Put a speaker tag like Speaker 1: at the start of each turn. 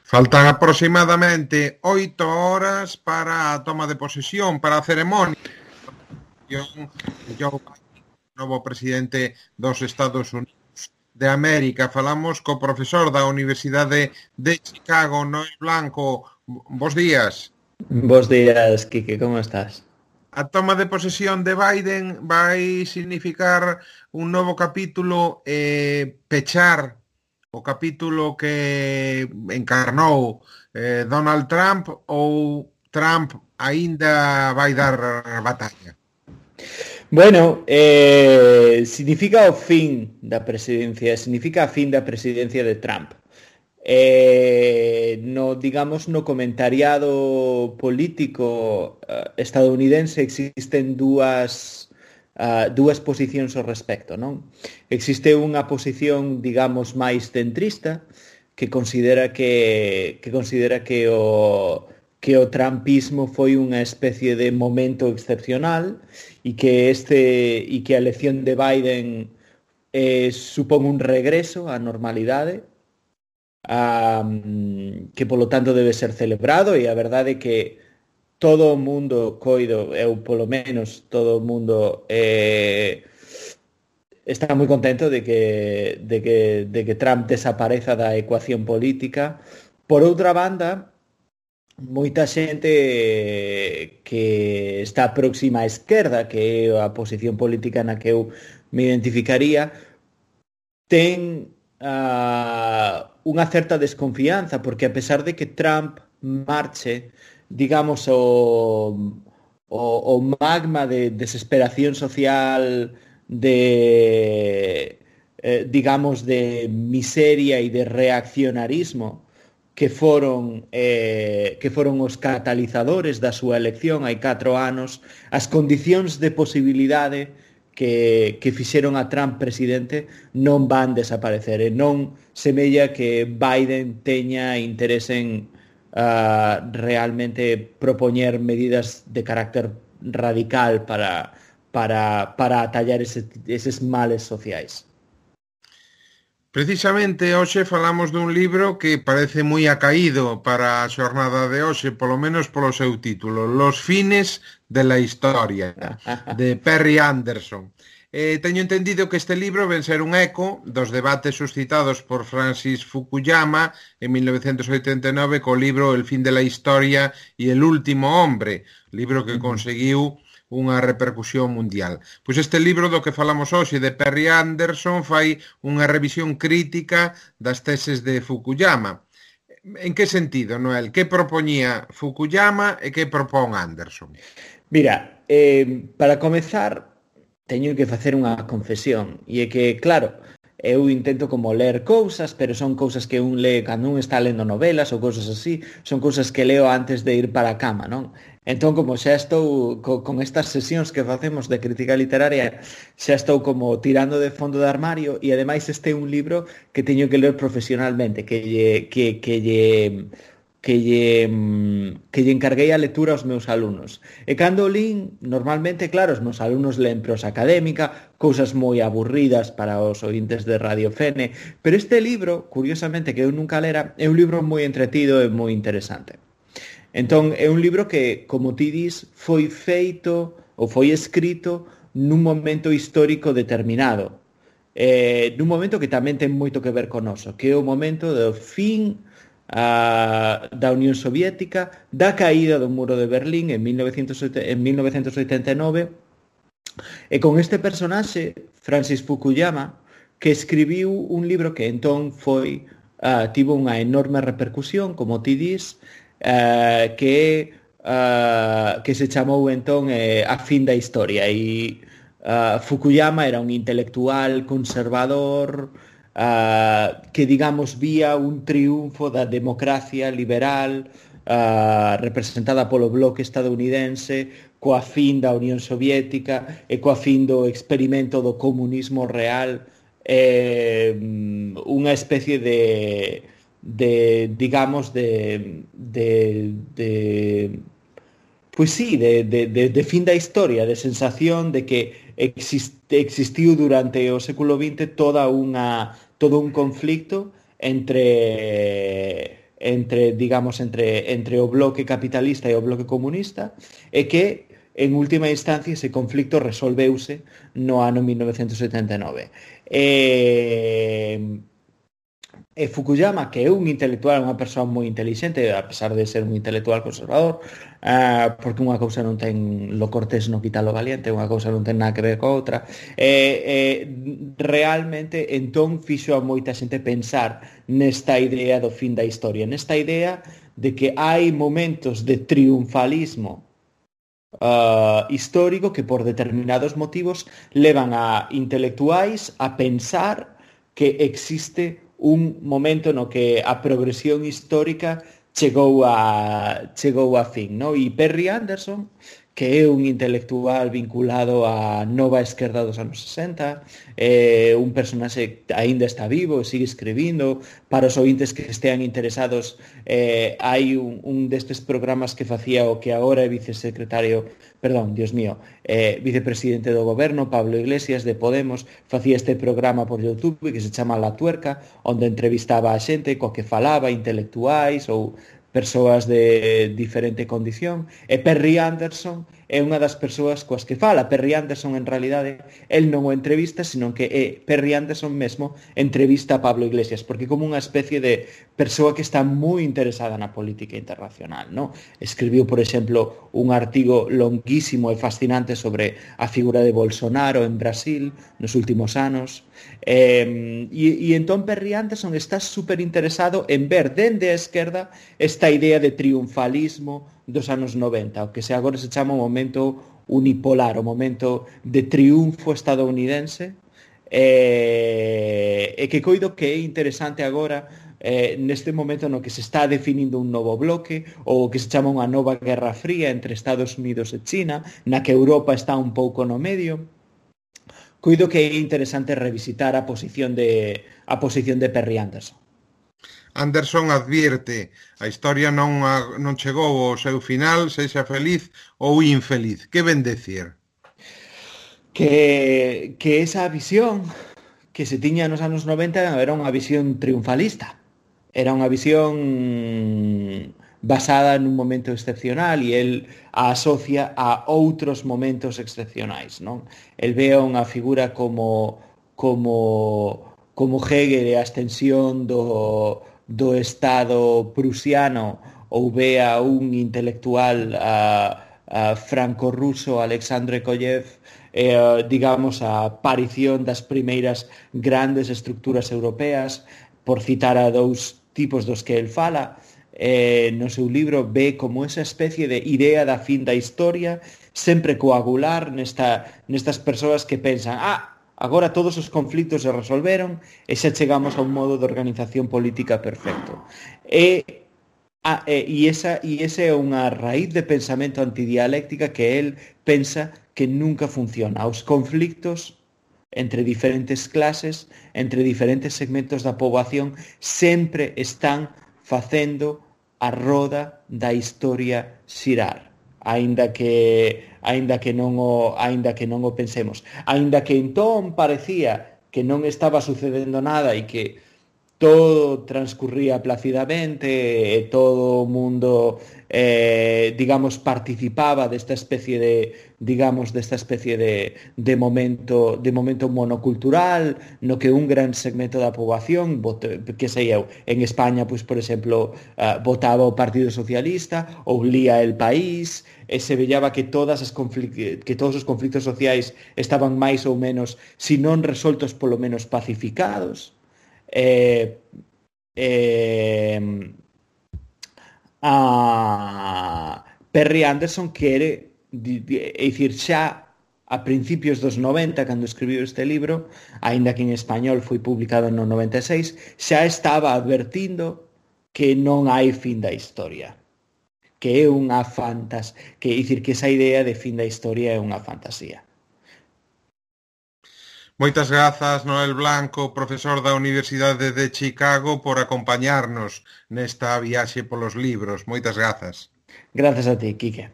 Speaker 1: Faltan aproximadamente 8 horas para a toma de posesión, para a ceremonia de Joe Biden, novo presidente dos Estados Unidos de América. Falamos co profesor da Universidade de Chicago, Noel Blanco. Bos días.
Speaker 2: Bos días, Quique, ¿cómo estás?
Speaker 1: A toma de posesión de Biden vai significar un novo capítulo, pechar o capítulo que encarnou Donald Trump, ou Trump aínda vai dar batalla?
Speaker 2: Bueno, significa o fin da presidencia, significa a fin da presidencia de Trump. No comentariado político estadounidense existen dúas posicións ao respecto, non? Existe unha posición, digamos, máis centrista que considera que o trumpismo foi unha especie de momento excepcional e que a elección de Biden supón un regreso á normalidade, que polo tanto debe ser celebrado, e a verdade é que todo o mundo coido, eu polo menos todo o mundo está moi contento de que Trump desapareza da ecuación política. Por outra banda, moita xente que está próxima á esquerda, que é a posición política na que eu me identificaría, ten unha certa desconfianza, porque a pesar de que Trump marche, digamos, o magma de desesperación social, digamos, de miseria e de reaccionarismo que foron os catalizadores da súa elección hai 4 anos, as condicións de posibilidade que fixeron a Trump presidente non van desaparecer, e non semella que Biden teña interés en realmente propoñer medidas de carácter radical para atallar eses males sociais.
Speaker 1: Precisamente hoxe falamos dun libro que parece moi acaído para a xornada de hoxe, polo menos polo seu título, Los fines de la historia, de Perry Anderson. Teño entendido que este libro ven ser un eco dos debates suscitados por Francis Fukuyama en 1989 co libro El fin de la historia y el último hombre, libro que conseguiu unha repercusión mundial. Pois este libro do que falamos hoxe, de Perry Anderson, fai unha revisión crítica das teses de Fukuyama. En que sentido, Noel? Que propoñía Fukuyama e que propón Anderson?
Speaker 2: Mira, para comezar, teño que facer unha confesión, e é que, claro, eu intento como ler cousas, pero son cousas que un lee cando un está lendo novelas ou cousas así, son cousas que leo antes de ir para a cama, non? Entón, como xa estou con estas sesións que facemos de crítica literaria, xa estou como tirando de fondo de armario, e ademais este é un libro que teño que ler profesionalmente, que lle encarguei a lectura aos meus alumnos. E cando lín, normalmente, claro, os meus alumnos leen prosa académica, cousas moi aburridas para os ointes de Radio Fene, pero este libro, curiosamente, que eu nunca lera, é un libro moi entretido e moi interesante. Entón, é un libro que, como ti dis, foi feito ou foi escrito nun momento histórico determinado, nun momento que tamén ten moito que ver con noso, que é o momento do fin da Unión Soviética, da caída do muro de Berlín en 1989, e con este personaxe, Francis Fukuyama, que escribiu un libro que entón tivo unha enorme repercusión, como ti dis, que se chamou entón A fin da historia, e Fukuyama era un intelectual conservador que, digamos, vía un triunfo da democracia liberal representada polo bloque estadounidense, coa fin da Unión Soviética e coa fin do experimento do comunismo real, unha especie de fin da historia, de sensación de que existiu durante o século XX todo un conflicto entre entre o bloque capitalista e o bloque comunista, e que en última instancia ese conflicto resolveuse no ano 1979. E Fukuyama, que é un intelectual, unha persoa moi intelixente, a pesar de ser un intelectual conservador, porque unha cousa non ten lo cortés no quita lo valiente, unha cousa non ten nada que ver co outra, realmente entón fixo a moita xente pensar nesta idea do fin da historia, nesta idea de que hai momentos de triunfalismo histórico que por determinados motivos levan a intelectuais a pensar que existe un momento no que a progresión histórica chegou a fin, no? E Perry Anderson, que é un intelectual vinculado á nova esquerda dos anos 60, un personaxe que aínda está vivo, sigue escribindo. Para os ointes que estean interesados, hai un destes programas que facía o que agora é vicepresidente do goberno, Pablo Iglesias, de Podemos, facía este programa por YouTube que se chama La Tuerca, onde entrevistaba a xente coa que falaba, intelectuais ou persoas de diferente condición, e Perry Anderson é unha das persoas coas que fala. Perry Anderson, en realidade, el non o entrevista, sino que Perry Anderson mesmo entrevista a Pablo Iglesias, porque como unha especie de persoa que está moi interesada na política internacional, ¿no? Escribiu, por exemplo, un artigo longuísimo e fascinante sobre a figura de Bolsonaro en Brasil nos últimos anos, e entón Perry Anderson está super interesado en ver dende a esquerda esta idea de triunfalismo dos anos 90, o que agora se chama o momento unipolar, o momento de triunfo estadounidense, e que coido que é interesante agora neste momento no que se está definindo un novo bloque, ou que se chama unha nova guerra fría entre Estados Unidos e China, na que Europa está un pouco no medio. Coido que é interesante revisitar a posición de Perry Anderson.
Speaker 1: Anderson advierte: a historia non chegou ao seu final, sexa feliz ou infeliz. Que ven decir?
Speaker 2: Que esa visión que se tiña nos anos 90 era unha visión triunfalista. Era unha visión basada nun momento excepcional, e el a asocia a outros momentos excepcionais, non? El ve a unha figura como Hegel e a extensión do Estado prusiano, ou ve a un intelectual franco-ruso, Alexandre Koyev, digamos, a aparición das primeiras grandes estructuras europeas, por citar a dous tipos dos que el fala. No seu libro ve como esa especie de idea da fin da historia, sempre coagular nestas persoas que pensan: agora todos os conflitos se resolveron e xa chegamos a un modo de organización política perfecto. E esa é unha raíz de pensamento antidialéctica que el pensa que nunca funciona. Os conflictos entre diferentes clases, entre diferentes segmentos da poboación, sempre están facendo a roda da historia xirar, aínda que non o pensemos, aínda que entón parecía que non estaba sucedendo nada e que todo transcurría placidamente e todo o mundo digamos participaba desta especie de momento monocultural no que un gran segmento da poboación, que sei eu, en España, pois por exemplo, votaba o Partido Socialista ou lía El País, e se vellaba que todos os conflitos sociais estaban máis ou menos, se non resoltos, polo menos pacificados. Perry Anderson quere dicir, xa a principios dos 90, cando escribiu este libro, aínda que en español foi publicado no 96, xa estaba advertindo que non hai fin da historia, que é unha que dicir que esa idea de fin da historia é unha fantasía.
Speaker 1: Moitas grazas, Noel Blanco, profesor da Universidade de Chicago, por acompañarnos nesta viaxe polos libros. Moitas grazas.
Speaker 2: Grazas a ti, Quique.